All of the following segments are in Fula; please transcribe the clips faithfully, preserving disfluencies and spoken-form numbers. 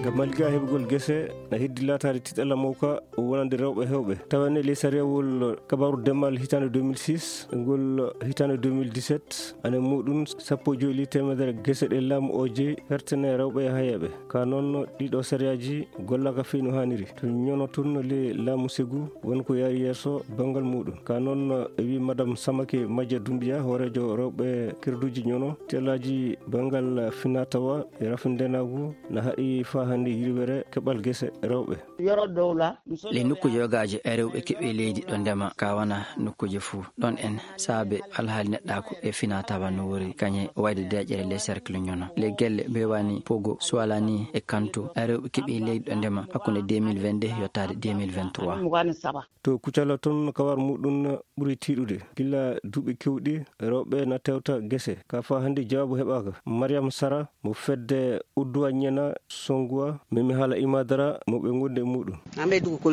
Ngam maliga heɓugol gese na heddi laataade tiɗalla mawka wonande rewɓe heewɓe. Tawa ne ley sariyawol kabaru demal hitaande deux mille six, ngol hitaande deux mille dix-sept, ane muɗum sappo e joyi ley teemedere gese ɗe laamu o jeyi hertene rewɓe e hayeeɓe. Ka noon ɗiɗo sariyaaji gollaka fii no haaniri. To ñono tun ley laamu segu won ko yaari yeeso banngal muɗum. Ka noon e wi Madam Samake Majja Dumbiya, hooreejo rewɓe kirduji ñono, tellaaji banngal finatawa e rafindeenaagu na haɗi faa hannde yirwere keɓal gese rewɓe. Yoro dowla. Ley nokkuuje yogaaje e rewɓe keɓi leydi ɗo ndema ka wana nokkuuje fuu. Ɗon en saabe alhaali neɗɗaaku e finatawa no wori kañe wayde deeƴere ley cercle ñono. Ley gelle Bewani, Pogo, Suwalani e Kanto, e rewɓe keɓi leydi ɗo ndema hakkunde deux mille vingt-deux yottaade deux mille vingt-trois. To Kucala toon, kawar muɗum ɓuri tiiɗude. Gila duuɓi kewɗi, rewɓe na tewta gese. Ka faa hannde jawaabu heɓaaka. Mariam Sara, mo fedde Udduwa Ñena Songuwa, memi haala Imadara, mo ɓe ngondi e muɗum.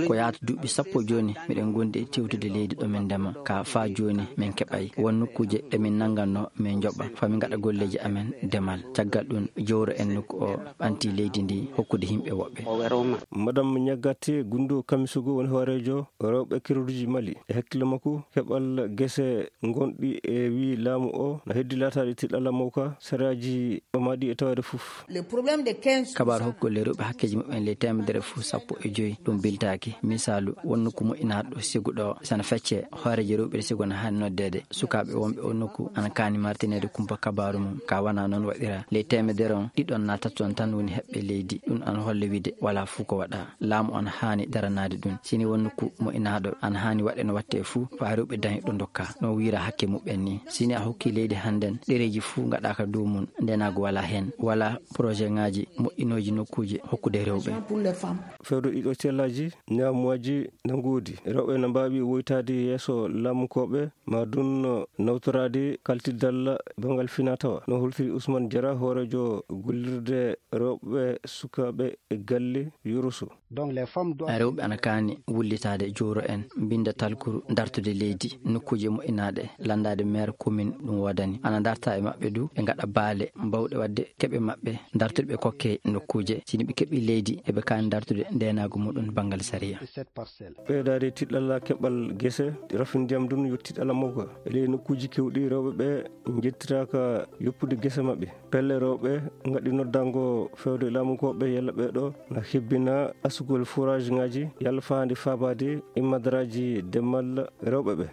Ko yaata duuɓi sappo jooni, miɗen ngondi e tewtude leydi ɗo min ndema. Ka faa jooni, min keɓay won nokkuuje ɗe min nannganno, min njoɓa. Faa min ngaɗa golleeji amen demal. Caggal ɗum, jowro en nokku o ɓanti leydi ndi hokkude yimɓe woɓɓe. Madam Ñaggate Gundu Kamisogo woni hooreejo rewɓe kirduji Mali. E hakkille makko, keɓal gese ngonɗi e wi laamu o na heddi laataade tiɗalla mawka, sariyaaji ɓamaaɗi e taweede fof. Kabaar hokkugol rewɓe hakkeeji muɓɓen ley teemedere fof sappo e joyi, ɗum biltaaki. Misaalu, won nokku moƴƴinaaɗo ɗo siguɗo o, sana fecce hooreejo rewɓe ɗe sigo na haani noddeede. Sukaaɓe wonɓe o nokku ana kaani martineede kumpa kabaaru mum. Ka wana noon waɗira. Ley teemedere on, ɗiɗon naa taton tan woni heɓɓe leydi. Ɗum ana holla wiide walaa fuu ko waɗa. Laamu ana haani daranaade ɗum. Sini won nokku moƴƴinaaɗo, ana haani waɗe no watte fuu, faa rewɓe dañi ɗo ndokka, no wiira hakke muɓɓen ni. Sini a hokki leydi hannden, ɗereeji fuu ngaɗaaka dow mum, ndenaagu walaa heen, walaa projet ŋaaji moƴƴinooji nokkuuje hokkude rewɓe. Fewdo ɗiɗo tellaaji, ñaamuwaaji na ngoodi. Rewɓe na mbaawi woytaade yeeso laamukooɓe, ma ɗum nawtoraade kaltiddal banngal finatawa. No holtiri Ousmane Diarra, hooreejo gollirde rewɓe sukaaɓe e galle Yoroso. Rewɓe ana kaani wullitaade, jowro en, mbinnda talkuru, dartude leydi, nokkuuje moƴƴinaaɗe, lanndaade meer komin ɗum woodani. Ana darta e maɓɓe du, ɓe ngaɗa baale bawɗe waɗde keɓe maɓɓe, dartude ɓe kokke nokkuuje. Sini ɓe keɓi leydi, eɓe kaani dartude ndeenaagu muɗum banngal sariya. Ɓeydaade tiɗalla keɓal gese, rafin ndiyam ɗum yo tiɗalla mawka. E ley nokkuuji keewɗi, rewɓe ɓe njettitaaka yoppude gese maɓɓe. Pelle rewɓe ngaɗi noddango fewde laamukooɓe yalla ɓee ɗo na hebbina asugol forage ŋaaji yalla faa ndi faabaade e madaraaji demal rewɓe ɓe.